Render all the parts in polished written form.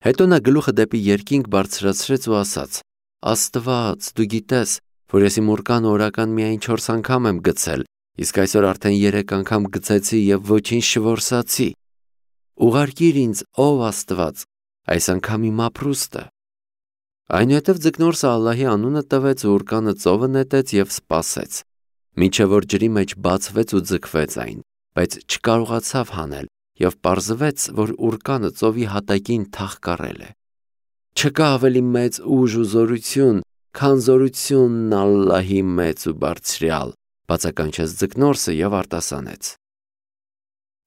Հետո նա գլուխը դեպի երկինք բարձրացրեց ու ասաց. Աստված, դու գիտես, որ ես իմ ուրկանը օրական միայն 4 անգամ եմ գցել, իսկ այսօր արդեն 3 անգամ գցեցի և ոչինչ չորսացի։ Ուղարկիր ինձ, ով Աստված, այս անգամ իմ ապրուստը։ Այնուհետև ձկնորսը Ալլահի անունը տվեց ու ուրկանը ծովը նետեց և սպասեց, մինչև որ ջրի մեջ բացվեց ու ձգվեց այն, բայց չկարողացավ հանել և պարզվեց, որ ուրկանը ծովի հատակին թաղկառել է։ Չկա ավելի մեծ ուժ ու զորություն, քան զորությունն Ալլահի մեծ ու բարձրյալ, բացականչեց ձկնորսը և արտասանեց.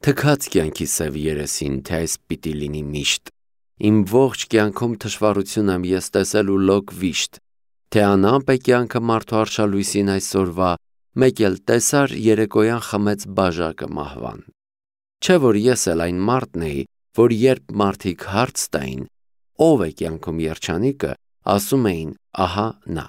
Թքած կյանքի սև երեսին, թե այս պիտի լինի միշտ։ Իմ ողջ կյանքում թշվառություն եմ ես տեսել ու լոկ վիշտ, թե անամպ է կյանքը մարդու արշալույսին այսօրվա, մեկ էլ տեսար երեկոյան խմեց բաժակը մահվան։ Չէ որ ես էլ այն մարդն էի, որ երբ մարդիկ հարց տային, ով է կյանքում երջանիկը, ասում էին, ահա նա։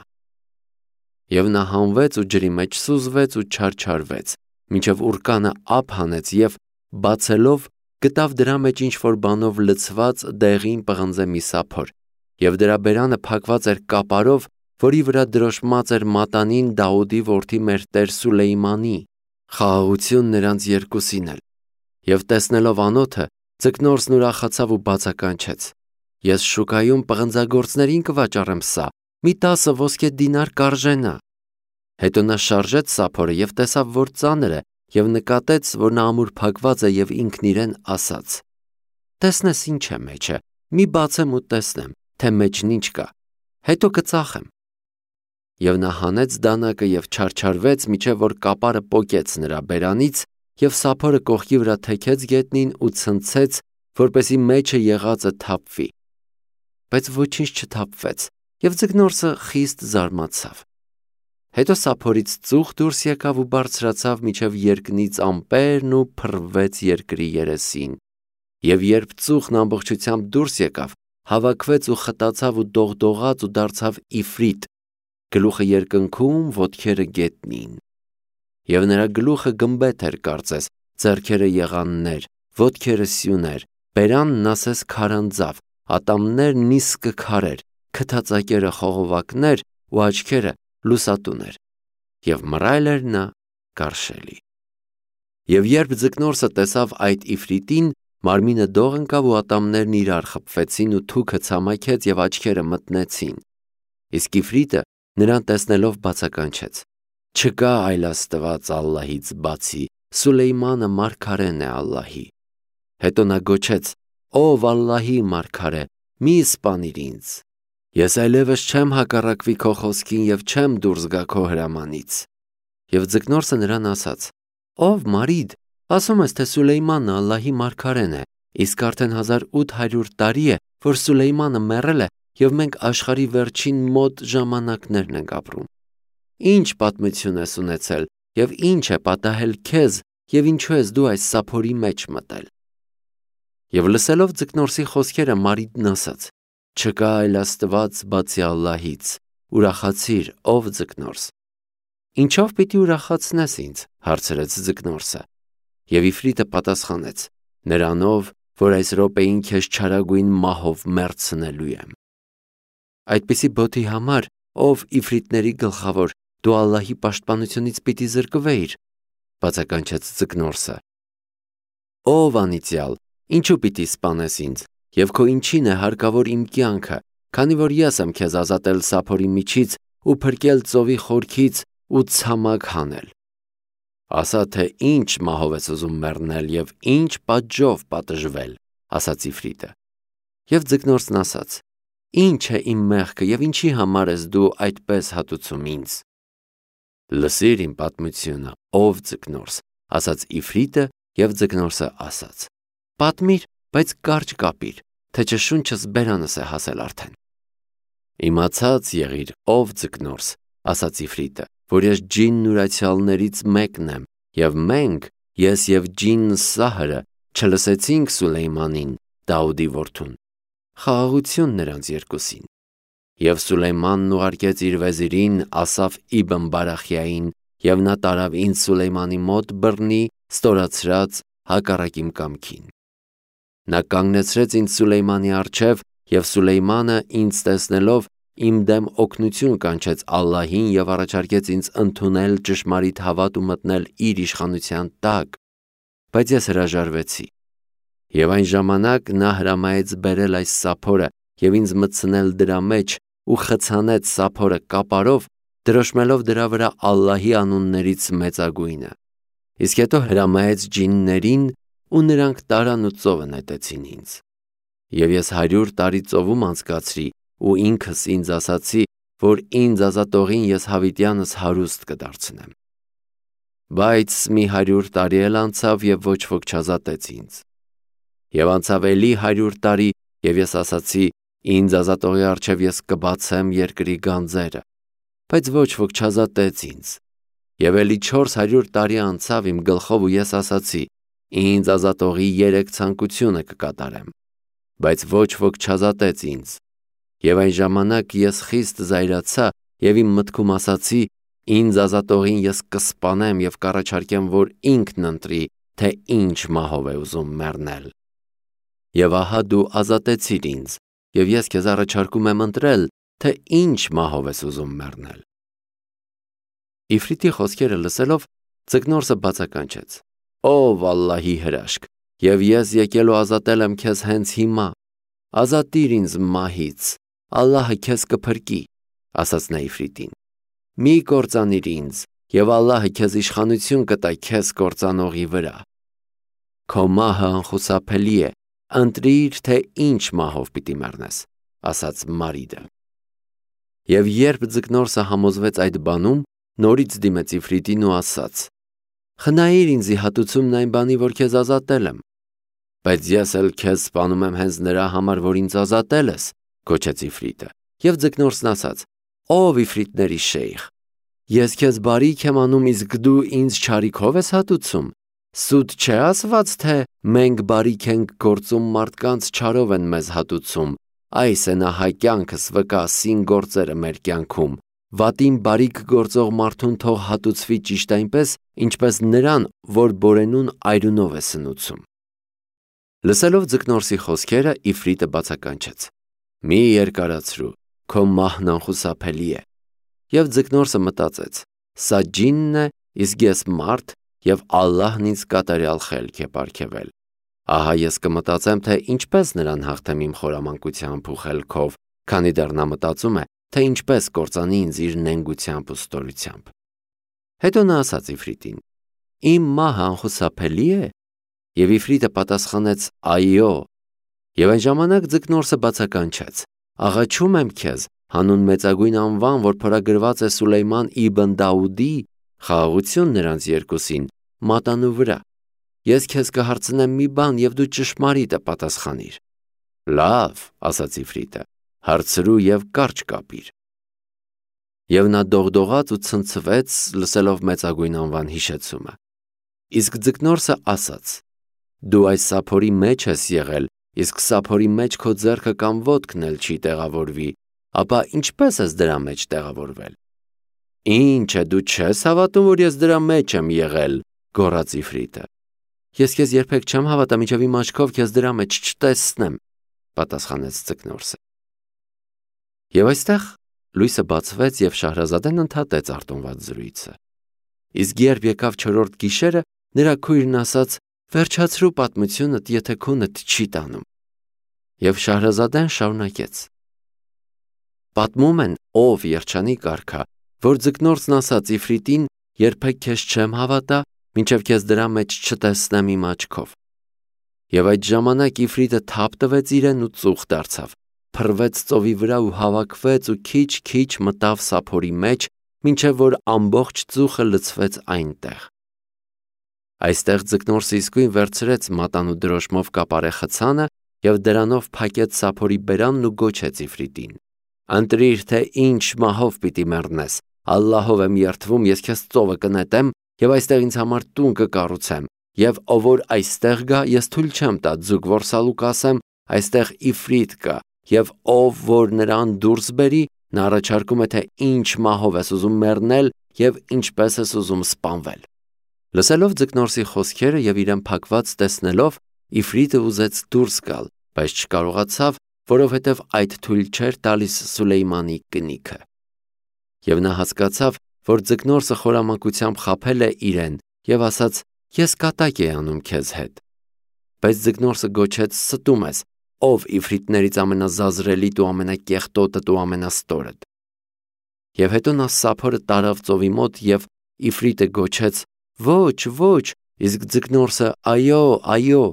Եվ նա հանվեց ու ջրի մեջ սուզվեց ու չարչարվեց, մինչև ուրկանը ափ հանեց և բացելով գտավ դրա մեջ ինչ-որ բանով լցված դեղին պղնձե մի սափոր, և դրա բերանը փակված էր կապարով, որի վրա դրոշմած էր մատանին Դավուդի որդի մեր տեր Սուլեյմանի։ Խաղաղություն նրանց երկուսին էլ։ Եվ տեսնելով անոթը, ձկնորսն ուրախացավ ու բացականչեց. Ես շուկայում պղնձագործներին կվաճառեմ սա, մի 10 ոսկե դինար կարժենա։ Հետո նա շարժեց սափորը և տեսավ, որ ծանր է, և նկատեց, որ նա ամուր փակված է և ինքն իրեն ասաց. Տեսնես ինչ է մեջը, մի բացեմ ու տեսնեմ, թե մեջն ինչ կա, հետո կծախեմ։ Եվ նա հանեց դանակը և չարչարվեց, մինչև որ կապարը պոկեց նրա բերանից, և սափորը կողքի վրա թեքեց գետնին ու ցնցեց, որպեսզի մեջը եղածը թափվի։ Բայց ոչինչ չթափվեց, և ձկնորսը խիստ զարմացավ։ Հետո սափորից ծուխ դուրս եկավ ու բարձրացավ մինչև երկնից ամպերն ու փռվեց երկրի երեսին։ Եվ երբ ծուխն ամբողջությամբ դուրս եկավ, հավաքվեց ու խտացավ ու դողդողաց ու դարձավ իֆրիտ, գլուխը երկնքում, ոտքերը գետնին։ Եվ նրա գլուխը գմբեթ էր կարծես, ձեռքերը եղաններ, ոտքերը սյուներ, բերանն ասես քարանձավ, ատամներն իսկը քարեր, քթածակերը խողովակներ ու աչքերը լուսատուներ, և մռայլ էր նա գարշելի։ Եվ երբ ձկնորսը տեսավ այդ իֆրիտին, մարմինը դող ընկավ ու ատամներն իրար խփվեցին ու թուքը ցամաքեց և աչքերը մտնեցին։ Իսկ իֆրիտը նրան տեսնելով բացականչեց. Չկա այլ Աստված Ալլահից բացի, Սուլեյմանը մարգարեն է Ալլահի։ Հետո նա գոչեց. Ով Ալլահի մարգարե, մի սպանիր ինձ։ Ես այլևս չեմ հակառակվի քո խոսքին և չեմ դուրս գա քո հրամանից։ Եվ ձկնորսը նրան ասաց. Ով մարիդ, ասում ես, թե Սուլեյմանն Ալլահի մարգարեն է, իսկ արդեն 1800 տարի է, որ Սուլեյմանը մեռել է, և մենք աշխարհի վերջին մոտ ժամանակներն ենք ապրում։ Ինչ պատմություն ես ունեցել, և ինչ է պատահել քեզ, և ինչու ես դու այս սափորի մեջ մտել։ Եվ լսելով ձկնորսի խոսքերը մարիդն ասաց. Չկա այլ Աստված բացի Ալլահից, ուրախացիր, ով ձկնորս։ Ինչով պիտի ուրախացնես ինձ, հարցրեց ձկնորսը։ Եվ իֆրիտը պատասխանեց. Նրանով, որ այս րոպեին քեզ չարագույն մահով մեռցնելու եմ։ Այդպիսի բոթի համար, ով իֆրիտների գլխավոր, դու Ալլահի պաշտպանությունից պիտի զրկվեիր, բացականչեց ձկնորսը։ Ով անիծյալ, ինչու պիտի սպանես ինձ, և քո ինչին է հարկավոր իմ կյանքը, քանի որ ես եմ քեզ ազատել սափորի միջից ու փրկել ծովի խորքից ու ցամաք հանել։ Ասա, թե ինչ մահով ես ուզում մեռնել և ինչ պատժով պատժվել, ասաց իֆրիտը։ Եվ ձկնորսն ասաց. Ինչ է իմ մեղքը և ինչի համար ես դու այդպես հատուցում ինձ։ Լսիր իմ պատմությունը, ով ձկնորս, ասաց իֆրիտը, և ձկնորսը ասաց. Պատմիր, բայց կարճ կապիր, թե չէ շունչս բերանս է հասել արդեն։ Իմացած եղիր, ով ձկնորս, ասաց իֆրիտը, որ ես ջինն ուրացյալներից մեկն եմ, և մենք, ես և ջինն Սահրը, չլսեցինք Սուլեյմանին, Դավուդի որդուն։ Խաղաղություն նրանց երկուսին։ Եվ Սուլեյմանն ուղարկեց իր վեզիրին Ասաֆ իբն Բարախիային, և նա տարավ ինձ Սուլեյմանի մոտ բռնի, ստորացրած հակառակ իմ կամքին։ Նա կանգնեցրեց ինձ Սուլեյմանի առջև Եվ Սուլեյմանը ինձ տեսնելով իմ դեմ օգնություն կանչեց Ալլահին և առաջարկեց ինձ ընդունել ճշմարիտ հավատ ու մտնել իր իշխանության տակ, բայց ես հրաժարվեցի։ Եվ այն ժամանակ նա հրամայեց բերել այս սափորը և ինձ մտցնել դրա մեջ ու խցանեց սափորը կապարով, դրոշմելով դրա վրա Ալլահի անուններից մեծագույնը։ Իսկ հետո հրամայեց ջիններին ու նրանք տարան ու ծովը նետեցին ինձ։ Եվ ես 100 տարի ծովում անցկացրի ու ինքս ինձ ասացի, որ ինձ ազատողին ես հավիտյանս հարուստ կդարձնեմ։ Բայց մի 100 տարի էլ անցավ և ոչ ոք չազատեց ինձ։ Եվ անցավ էլի 100 տարի և ես ասացի, ինձ ազատողի առջև ես կբացեմ երկրի գանձերը, բայց ոչ ոք չազատեց ինձ։ Եվ էլի 400 տարի անցավ իմ գլխով ու ես ասացի, ինձ ազատողի 3 ցանկությունը կկատարեմ, բայց ոչ ոք չազատեց ինձ։ Եվ այն ժամանակ ես խիստ զայրացա և իմ մտքում ասացի, ինձ ազատողին ես կսպանեմ և կառաջարկեմ, որ ինքն ընտրի, թե ինչ մահով է ուզում մեռնել։ Եվ ահա դու ազատեցիր ինձ, և ես քեզ առաջարկում եմ ընտրել, թե ինչ մահով ես ուզում մեռնել։ Իֆրիտի խոսքերը լսելով ձկնորսը բացականչեց. Ով Ալլահի հրաշք, և ես եկել ու ազատել եմ քեզ հենց հիմա, ազատիր ինձ մահից, Ալլահը քեզ կփրկի, ասաց նա Իֆրիտին։ Մի կործանիր ինձ, և Ալլահը քեզ իշխանություն կտա քեզ կործանողի վրա։ Քո մահը անխուսափելի է, ընտրիր, թե ինչ մահով պիտի մեռնես, ասաց Մարիդը։ Եվ երբ ձկնորսը համոզվեց այդ բանում, նորից դիմեց Իֆրիտին ու ասաց. Խնայիր ինձի հատուցումն այն բանի, որ քեզ ազատել եմ։ Բայց ես էլ քեզ սպանում եմ հենց նրա համար, որ ինձ ազատել ես, գոչեց Իֆրիտը։ Եվ ձկնորսն ասաց. Ով Իֆրիտների շեյխ, ես քեզ բարիք եմ անում, իսկ դու ինձ չարիքով ես հատուցում։ Սուտ չէ ասված, թե մենք բարիք ենք գործում, մարդկանց չարով են մեզ հատուցում։ Այս է նա հայ կյանքս վկա սին գործերը մեր կյանքում։ Վատին բարիք գործող մարդուն թող հատուցվի ճիշտ այնպես, ինչպես նրան, որ բորենուն այրունով է սնուցում։ Լսելով ձկնորսի խոսքերը, Իֆրիտը բացականչեց. Մի երկարացրու, քո մահն անխուսափելի է։ Եվ ձկնորսը մտածեց. Սա ջինն է, իսկ ես մարդ, և Ալլահն ինձ կատարյալ խելք է պարգևել։ Ահա ես կմտածեմ, թե ինչպես նրան հաղթեմ իմ խորամանկությամբ ու խելքով, քանի դեռ նա մտածում է, թե ինչպես կործանի ինձ իր նենգությամբ ու ստորությամբ։ Հետո նա ասաց Իֆրիտին. Իմ մահը անխուսափելի է։ Եվ Իֆրիտը պատասխանեց. Այո։ Եվ այն ժամանակ ձկնորսը բացականչեց. Աղաչում եմ քեզ, հանուն մեծագույն անվան, որ փորագրված է Սուլեյման իբն Դաուդի, խաղաղություն նրանց երկուսին, մատանու վրա։ Ես քեզ կհարցնեմ մի բան, և դու ճշմարիտը պատասխանիր։ Լավ, ասաց Իֆրիտը, հարցրու և կարճ կապիր։ Եվ նա դողդողաց ու ցնցվեց, լսելով մեծագույն անվան հիշեցումը։ Իսկ ձկնորսը ասաց. Դու այս սափորի մեջ ես եղել, իսկ սափորի մեջ քո ձեռքը կամ ոտքն էլ չի տեղավորվի, ապա ինչպես ես դրա մեջ տեղավորվել։ Ինչ է, դու չես հավատում, որ ես դրա մեջ եմ եղել, գոռաց Իֆրիտը։ Ես քեզ երբեք չեմ հավատա, մինչև իմ աչքով քեզ դրա մեջ չտեսնեմ, պատասխանեց ձկնորսը։ Եվ այստեղ լույսը բացվեց և Շահրազադեն ընդհատեց արտոնված զրույցը։ Իսկ երբ եկավ 4-րդ գիշերը, նրա քույրն ասաց. Վերջացրու պատմությունդ, եթե քունդ չի տանում։ Եվ Շահրազադեն շարունակեց. Պատմում են, ով երջանիկ արքա, որ ձկնորսն ասաց Իֆրիտին, երբեք քեզ չեմ հավատա, մինչև քեզ դրա մեջ չտեսնեմ իմ աչքով։ Եվ այդ ժամանակ Իֆրիտը թափ տվեց իրեն ու ծուխ դարձավ, փռվեց ծովի վրա ու հավաքվեց ու քիչ-քիչ մտավ սափորի մեջ, մինչև որ ամբողջ ծուխը լցվեց այնտեղ։ Այստեղ ձկնորսը իսկույն վերցրեց մատանու դրոշմով կապարե խցանը և դրանով փակեց սափորի բերանն ու գոչեց Իֆրիտին. Ընտրիր, թե ինչ մահով պիտի մեռնես, Ալլահով եմ երդվում, ես քեզ ծովը կնետեմ և այստեղ ինձ համար տուն կկառուցեմ, և ով որ այստեղ գա, ես թույլ չեմ տա ձուկ որսալու կասեմ, այստեղ Իֆրիտ կա, և ով որ նրան դուրս բերի, նա առաջարկում է, թե ինչ մահով ես ուզում մեռնել և ինչպես ես ուզում սպանվել։ Լսելով ձկնորսի խոսքերը և իրեն փակված տեսնելով, Իֆրիտը ուզեց դուրս գալ, բայց չկարողացավ, որովհետև այդ թույլ չէր տալիս Սուլեյմանի կնիքը։ Եվ նա հասկացավ, որ ձկնորսը խորամանկությամբ խաբել է իրեն և ասաց. «Ես կատակ էի անում քեզ հետ»։ Բայց ձկնորսը գոչեց. «Ստում ես, ով իֆրիտներից ամենազազրելիդ ու ամենակեղտոտդ ու ամենաստորդ»։ Եվ հետո նա սափորը տարավ ծովի մոտ և իֆրիտը գոչեց. «Ոչ, ոչ», իսկ ձկնորսը. «Այո, այո»։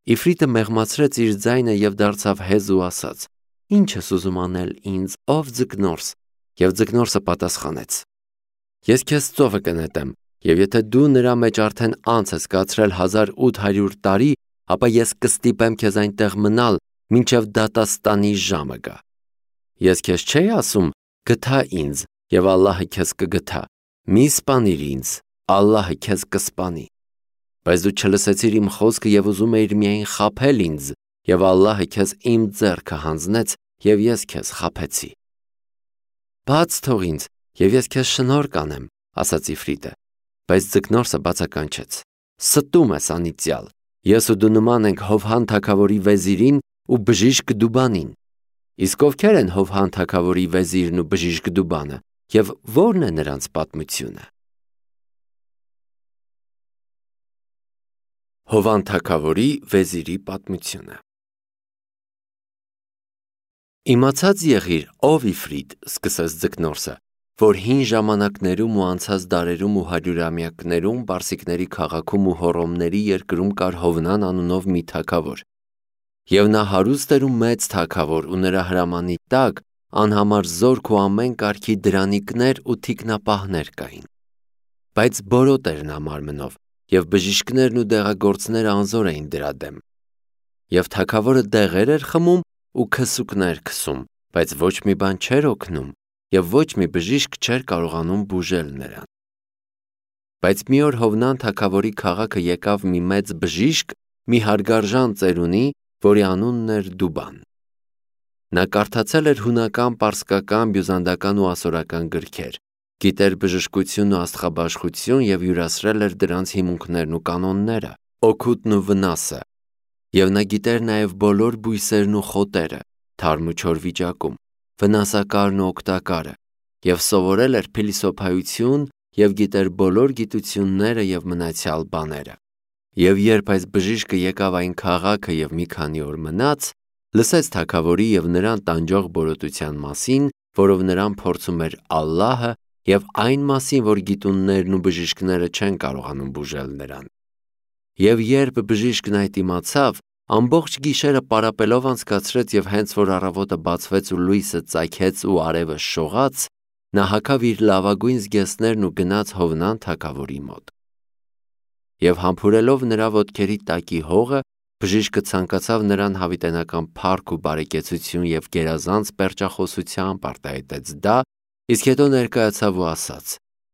Իֆրիտը մեղմացրեց իր ձայնը և դարձավ հեզ ու ասաց. «Ի՞նչ ես ուզում անել ինձ, ով ձկնորս»։ Եվ ձկնորսը պատասխանեց. «Ես քեզ ծովը կնետեմ, և եթե դու նրա մեջ արդեն անց ես կացրել 1800 տարի, ապա ես կստիպեմ քեզ այնտեղ մնալ, մինչև դատաստանի ժամը գա։ Ես քեզ չէի ասում. գթա ինձ, և Ալլահը քեզ կգթա, մի սպանիր ինձ, Ալլահը քեզ կսպանի։ Բայց դու չլսեցիր իմ խոսքը և ուզում էիր միայն խաբել ինձ, և Ալլահը քեզ իմ ձեռքը հանձնեց, և ես քեզ խաբեցի»։ «Բաց թող ինձ, և ես քեզ շնորհ կանեմ», ասաց իֆրիտը։ Բայց ձկնորսը բացականչեց. «Ստում ես անիծյալ, ես ու դու նման ենք Հովհան թագավորի վեզիրին ու բժիշկ Դուբանին։ Իսկ ովքեր են Հովհան թագավորի վեզիրն ու բժիշկ Դուբանը, և ո՞րն է նրանց պատմությունը»։ Հովհան թագավորի վեզիրի պատմությունը։ «Իմացած եղիր, ով Իֆրիտ», սկսեց ձկնորսը, «որ հին ժամանակներում ու անցած դարերում ու հարյուրամյակներում պարսիկների քաղաքում ու Հոռոմների երկրում կար Հովնան անունով մի թագավոր։ Եվ նա հարուստ էր ու մեծ թագավոր, ու նրա հրամանի տակ անհամար զորք ու ամեն կարգի դրանիկներ ու թիկնապահներ կային։ Բայց բորոտ էր նա մարմնով, և բժիշկներն ու դեղագործները անզոր էին դրա դեմ։ Եվ թագավորը դեղեր էր խմում ու քսուկներ քսում, բայց ոչ մի բան չէր օգնում, և ոչ մի բժիշկ չէր կարողանում բուժել նրան։ Բայց մի օր Հովնան թագավորի քաղաքը եկավ մի մեծ բժիշկ, մի հարգարժան ծերունի, որի անունն էր Դուբան։ Նա կարդացել էր հունական, պարսկական, բյուզանդական ու ասորական գրքեր, գիտեր բժշկություն ու աստղաբաշխություն և յուրացրել էր դրանց հիմունքներն ու կանոնները, օգուտն ու վնասը։ Եվ նա գիտեր նաև բոլոր բույսերն ու խոտերը, թարմ ու չոր վիճակում, վնասակարն ու օգտակարը, և սովորել էր փիլիսոփայություն և գիտեր բոլոր գիտությունները և մնացյալ բաները։ Եվ երբ այս բժիշկը եկավ այն քաղաքը և մի քանի օր մնաց, լսեց թագավորի և նրան տանջող բորոտության մասին, որով նրան փորձում էր Ալլահը, և այն մասին, որ գիտուններն ու բժիշկները չեն կարողանում բուժել նրան։ Եվ երբ բժիշկն այդ իմացավ, ամբողջ գիշերը պարապելով անցկացրեց և հենց որ առավոտը բացվեց ու լույսը ծագեց ու արևը շողաց, նա հագավ իր լավագույն զգեստներն ու գնաց Հովնան թագավորի մոտ։ Եվ համբուրելով նրա ոտքերի տակի հողը, բժիշկը ցանկացավ նրան հավիտենական փառք ու բարեկեցություն և գերազանց պերճախոսությամբ արտահայտեց դա, իսկ հետո ներկայացավ ու ասաց.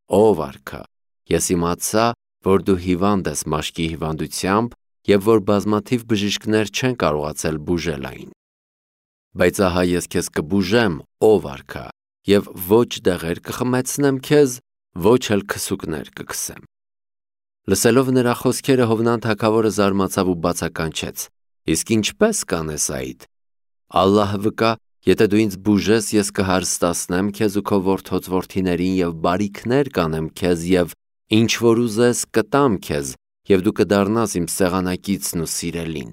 «Ով արքա, ես իմացա, որ դու հիվանդ ես մաշկի հիվանդությամբ և որ բազմաթիվ բժիշկներ չեն կարողացել բուժել այն։ Բայց ահա ես քեզ կբուժեմ, ով արքա, և ոչ դեղեր կխմեցնեմ քեզ, ոչ էլ քսուկներ կքսեմ»։ Լսելով նրա խոսքերը Հովնան թագավորը զարմացավ ու բացականչեց. «Իսկ ինչպե՞ս կանես այդ։ Ալլահը վկա, եթե դու ինձ բուժես, ես կհարստացնեմ քեզ ու քո որդոց որդիներին և բարիքներ կանեմ քեզ և ինչ որ ուզես կտամ քեզ, և դու կդառնաս իմ սեղանակիցն ու սիրելին»։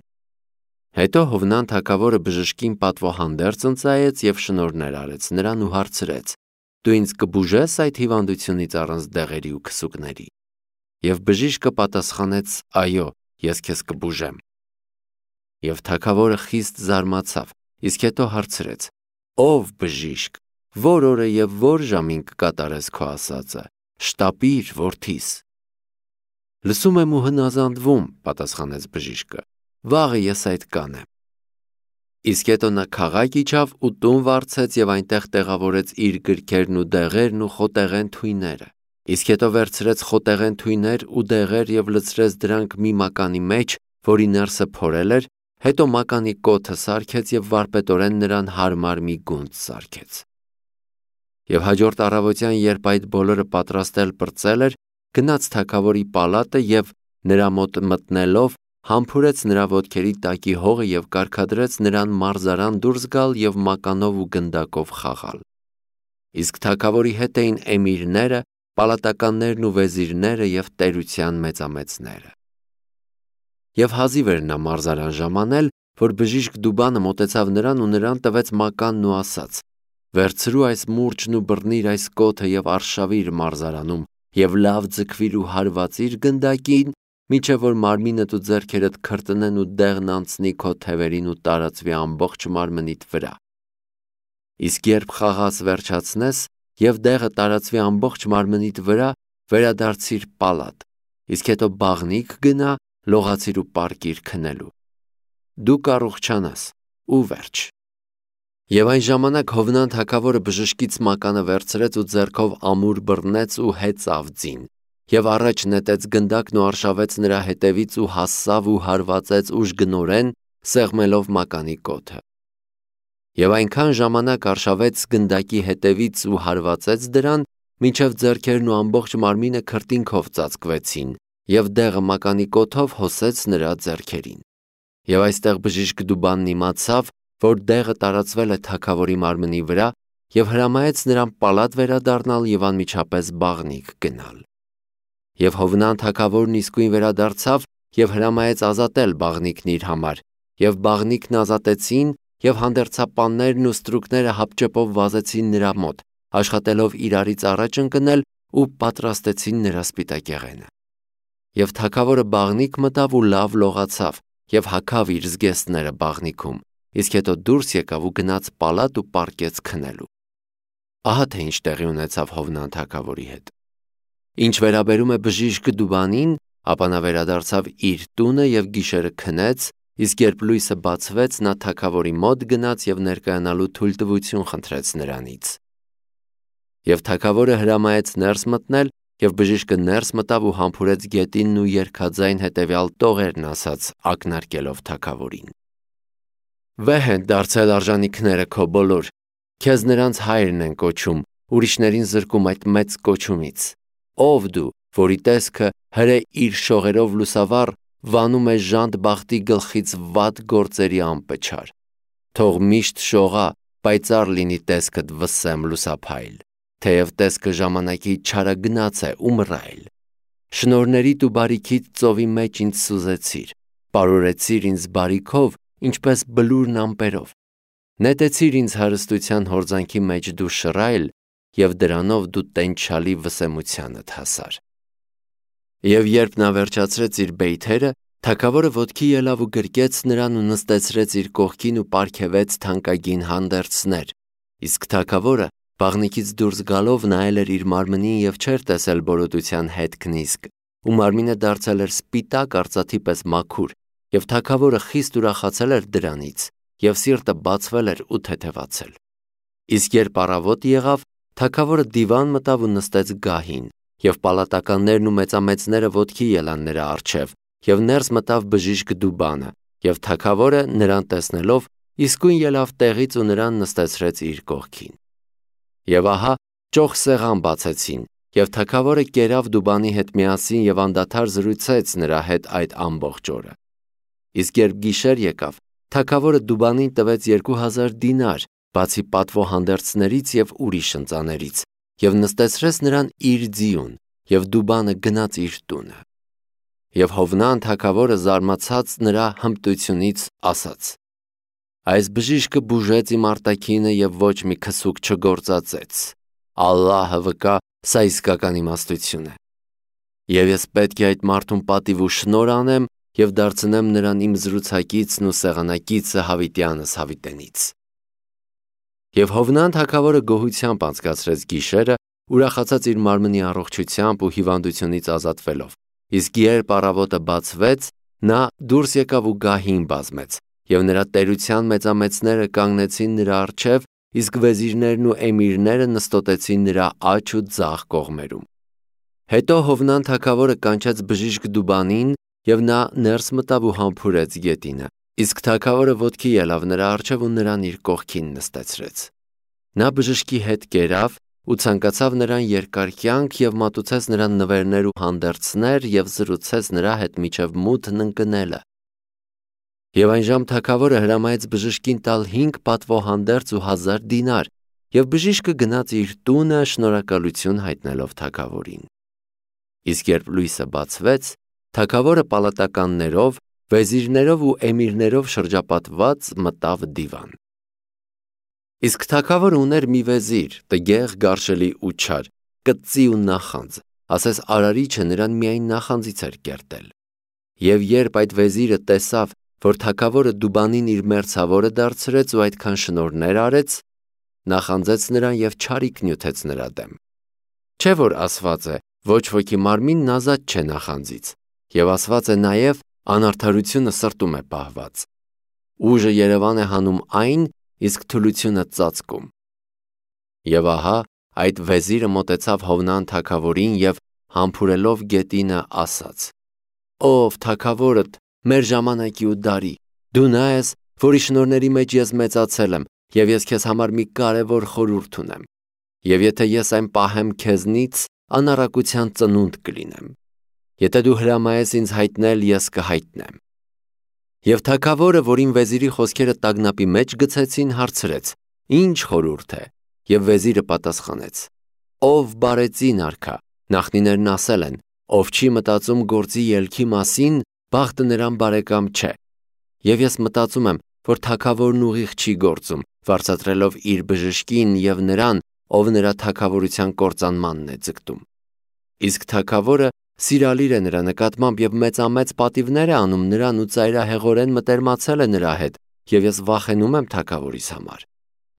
Հետո Հովնան թագավորը բժշկին պատվոհանդերձ ընծայեց և շնորհներ արեց նրան ու հարցրեց. «Դու ինձ կբուժես այդ հիվանդությունից առանց դեղերի ու քսուկների»։ Եվ բժիշկը պատասխանեց. «Այո, ես քեզ կբուժեմ»։ Եվ թագավորը խիստ զարմացավ, իսկ հետո հարցրեց. «Ով բժիշկ, որ օրը և որ ժամին կկատարես քո ասածը, շտապիր, որդիս»։ «Լսում եմ ու հնազանդվում», պատասխանեց բժիշկը, «վաղը ես այդ կանեմ»։ Իսկ հետո նա քաղաք իջավ ու տուն վարձեց և այնտեղ տեղավորեց իր գրքերն ու դեղերն ու խոտեղեն թույները։ Իսկ հետո վերցրեց խոտեղեն թույներ ու դեղեր և լցրեց դրանք մի մականի մեջ, որի ներսը փորել էր, հետո մականի կոթը սարքեց և վարպետորեն նրան հարմար մի գունդ սարքեց։ Եվ հաջորդ առավոտյան, երբ այդ բոլորը պատրաստել պրծել էր, գնաց թագավորի պալատը և նրա մոտ մտնելով համբուրեց նրա ոտքերի տակի հողը և կարգադրեց նրան մարզարան դուրս գալ և մականով ու գնդակով խաղալ։ Իսկ թագավորի հետ էին էմիրները, պալատականներն ու վեզիրները և տերության մեծամեծները։ Եվ հազիվ էր նա մարզարան ժամանել, որ բժիշկ Դուբանը մոտեցավ նրան ու նրան տվեց մականն ու ասաց. «Վերցրու այս մուրճն ու բռնիր այս կոթը և արշավիր մարզարանում և լավ ձգվիր ու հարվածիր գնդակին, մինչև որ մարմինդ ու ձեռքերդ քրտնեն ու դեղն անցնի քո թևերին ու տարածվի ամբողջ մարմնիդ վրա։ Իսկ երբ խաղաս վերջացնես և դեղը տարածվի ամբողջ մարմնիդ վրա, վերադարձիր պալատ, իսկ հետո բաղնիք գնա, լողացիր ու պառկիր քնելու։ Դու կառուղչանաս ու վերջ»։ Եվ այն ժամանակ Հովնան թագավորը բժշկից մականը վերցրեց ու ձեռքով ամուր բռնեց ու հեծավ ձին, և առաջ նետեց գնդակն ու արշավեց նրա հետևից ու հասավ ու հարվածեց ուժգնորեն, սեղմելով մականի կոթը։ Եվ այնքան ժամանակ արշավեց գնդակի հետևից ու հարվածեց դրան, մինչև ձեռքերն ու ամբողջ մարմինը քրտինքով ծածկվեցին, և դեղը մականի կոթով հոսեց նրա ձեռքերին։ Եվ այստեղ բժիշկ Դուբանն իմացավ, որ դեղը տարածվել է թագավորի մարմնի վրա, և հրամայեց նրան պալատ վերադառնալ և անմիջապես բաղնիք գնալ։ Եվ Հովնան թագավորն իսկույն վերադարձավ և հրամայեց ազատել բաղնիքն իր համար, և բաղնիքն ազատեցին, և հանդերձապաններն ու ստրուկները հապճեպով վազեցին նրա մոտ, աշխատելով իրարից առաջ ընկնել ու պատրաստեցին նրա սպիտակեղենը։ Եվ թագավորը բաղնիք մտավ ու լավ լողացավ և հագավ իր զգեստները բաղնիքում, իսկ հետո դուրս եկավ ու գնաց պալատ ու պառկեց քնելու։ Ահա թե ինչ տեղի ունեցավ Հովնան թագավորի հետ։ Ինչ վերաբերում է բժիշկ Դուբանին, ապա նա վերադարձավ իր տունը և գիշերը քնեց, իսկ երբ լույսը բացվեց, նա թագավորի մոտ գնաց և ներկայանալու թույլտվություն խնդրեց նրանից։ Եվ թագավորը հրամայեց ներս մտնել, և բժիշկը ներս մտավ ու համբուրեց գետինն ու երգաձայն հետևյալ տողերն ասաց, ակնարկելով թագավորին. «Վեհ են դարձել արժանիքները քո բոլոր, քեզ նրանց հայրն են կոչում, ուրիշներին զրկում այդ մեծ կոչումից։ Ո՞վ դու, որի տեսքը հրե իր շողերով լուսավառ, վանում է ժանտ բախտի գլխից վատ գործերի անպչար։ Թող միշտ շողա, պայծառ լինի տեսքդ վսեմ լուսափայլ, թեև տեսքը ժամանակի չարագնաց է ու մռայլ։ Շնորհներիդ ու բարիքիդ ծովի մեջ ինձ սուզեցիր, պարուրեցիր ինձ բարիքով, ինչպես բլուրն ամպերով։ Նետեցիր ինձ հարստության հորձանքի մեջ դու շռայլ, և դրանով դու տենչալի վսեմությանդ հասար»։ Եվ երբ նա վերջացրեց իր բեյթերը, թագավորը ոտքի ելավ ու գրկեց նրան ու նստեցրեց իր կողքին ու պարգևեց թանկագին հանդերձներ, իսկ թագավորը բաղնիքից դուրս գալով նայել էր իր մարմնին և չէր տեսել բորոտության հետքն իսկ, ու մարմինը դարձել էր սպիտակ արծաթի պես մաքուր, և թագավորը խիստ ուրախացել էր դրանից, և սիրտը բացվել էր ու թեթևացել։ Իսկ երբ առավոտ եղավ, թագավորը դիվան մտավ ու նստեց գահին, և պալատականներն ու մեծամեծները ոտքի ելան նրա առջև, և ներս մտավ բժիշկ Դուբանը, և թագավորը նրան տեսնելով իսկույն ելավ տեղից ու նրան նստեցրեց իր կողքին։ Եվ ահա ճոխ սեղան բացեցին, և թագավորը կերավ Դուբանի հետ միասին և անդադար զրուցեց նրա հետ այդ ամբողջ օրը։ Իսկ երբ գիշեր եկավ, թագավորը Դուբանին տվեց 2000 դինար, բացի պատվո հանդերձներից և ուրիշ ընծաներից, և նստեցրեց նրան իր ձիուն, և Դուբանը գնաց իր տունը։ Եվ Հովնան թագավորը զարմացած նրա հմտությունից ասաց. «Այս բժիշկը բուժեց իմ արտաքինը և ոչ մի քսուկ չգործածեց։ Ալլահը վկա, սա իսկական իմաստություն է։ Եվ ես պետք է այդ մարդուն պատիվ ու շնորհ անեմ և դարձնեմ նրան իմ զրուցակիցն ու սեղանակիցը հավիտյանս հավիտենից»։ Եվ Հովնան թագավորը գոհությամբ անցկացրեց գիշերը, ուրախացած իր մարմնի առողջությամբ ու հիվանդությունից ազատվելով, իսկ երբ առավոտը բացվեց, նա դուրս եկավ ու գահին բազմեց, և նրա տերության մեծամեծները կանգնեցին նրա առջև, իսկ վեզիրներն ու էմիրները նստոտեցին նրա աջ ու ձախ կողմերում։ Հետո Հովնան թագավորը կանչեց բժիշկ Դուբանին, և նա ներս մտավ ու համբուրեց գետինը, իսկ թագավորը ոտքի ելավ նրա առջև ու նրան իր կողքին նստեցրեց։ Նա բժշկի հետ կերավ ու ցանկացավ նրան երկար կյանք և մատուցեց նրան նվերներ ու հանդերձներ և զրուցեց նրա հետ մինչև մութն ընկնելը, Եվ այն ժամ թագավորը հրամայեց բժշկին տալ 5 պատվոհանդերձ ու 1000 դինար, եւ բժիշկը գնաց իր տունը շնորհակալություն հայտնելով թագավորին։ Իսկ երբ լույսը բացվեց, թագավորը պալատականներով, վեզիրներով ու էմիրներով շրջապատված մտավ դիվան։ Իսկ թագավորը ուներ մի վեզիր, տգեղ, գարշելի ու չար, կծի ու նախանձ, ասես արարիչը նրան միայն նախանձից էր կերտել։ Եվ երբ այդ վեզիրը տեսավ, որ թագավորը Դուբանին իր մերձավորը դարձրեց ու այդքան շնորհներ արեց, նախանձեց նրան եւ չարիք նյութեց նրա դեմ։ Չէ՞ որ ասված է, ոչ ոքի մարմինն ազատ չէ նախանձից, եւ ասված է նաեւ անարդարությունը սրտում է պահված։ Ուժը Երևան է հանում այն, իսկ թուլությունը ծածկում։ Եվ ահա այդ վեզիրը մոտեցավ Հովնան թագավորին եւ համբուրելով գետինը ասաց. «Ով թագավորդ, մեր ժամանակի ու դարի, դու նա ես, որի շնորհների մեջ ես մեծացել եմ, եւ ես քեզ համար մի կարևոր խորհուրդ ունեմ։ Եվ եթե ես այն պահեմ քեզնից, անառակության ծնունդ կլինեմ։ Եթե դու հրամայես ինձ հայտնել, ես կհայտնեմ»։ Եվ թագավորը, որին վեզիրի խոսքերը տագնապի մեջ գցեցին, հարցրեց. «Ինչ խորհուրդ է»։ Եվ վեզիրը պատասխանեց. «Ով բարեցին արքա, նախնիներն ասել են, ով չի մտածում գործի ելքի մասին, բախտը նրան բարեկամ չէ։ Եվ ես մտածում եմ, որ թագավորն ուղիղ չի գործում, վարձատրելով իր բժշկին եւ նրան, ով նրա թագավորության կործանմանն է ձգտում։ Իսկ թագավորը սիրալիր է նրա նկատմամբ եւ մեծամեծ պատիվներ է անում նրան ու ծայրահեղորեն մտերմացել է նրա հետ, եւ ես վախենում եմ թագավորիս համար»։